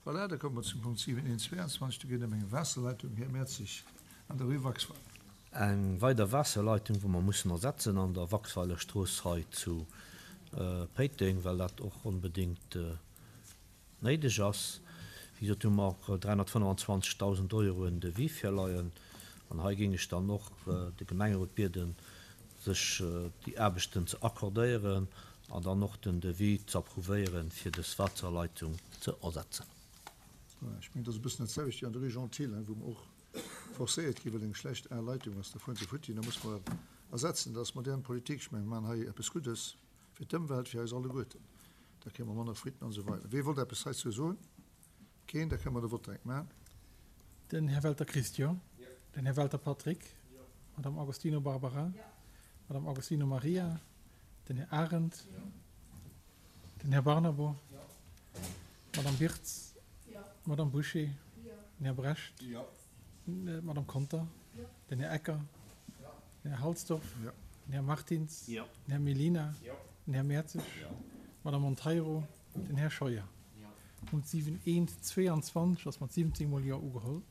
Voilà, da komme mer zum Punkt 7.1.22. Do geet et ëm eng Waasserleitung, Här Mertzig, an der Rue Waxweiler. Eng weider Waasserleitung, wou mer mussen ersetzen an der Waxweiler Strooss hei zu Péiteng, well dat och onbedéngt néideg ass. Wéi gesot, hu mer och 325.000 Euro en Devis virleien. An hei géing ech dann och de Gemengerot bieden, sech déi Aarbechten ze accordéieren an dann och den Devis ze approuvéieren, fir dës Waasserleitung ze ersetzen. Ech mengen, et ass e bëssen dat selwecht wéi an der Rue Jean Thill, wou mer och forcéiert ginn, well eng schlecht al Leitung ass, da fueren se futti, da muss mer ersetzen. Dat ass modern Politik. Ech mengen, mer maachen hei eppes Guddes fir d'Ëmwelt, fir eis alleguerten. Da kréie mer manner Fuiten an esou weider. Wee wollt eppes heizou soen? Keen? Da kënne mer de Vott direkt maachen. Den Här Welter Christian. Den Här Welter Patrick. D'Madame Agostino Barbara. D'Madame Agostino Maria. Den Här Arendt. Den Här Barnabo. D'Madame Birtz. D'Madame Bouché. Den Här Brecht. D'Madame Conter. Den Här Ecker. Den Här Halsdorf. Den Här Martins. Den Här Mellina. Den Här Mertzig. D'Madame Monteiro. Den Här Scheuer. Punkt 7 1 22 ass mat 17 mol Jo ugeholl.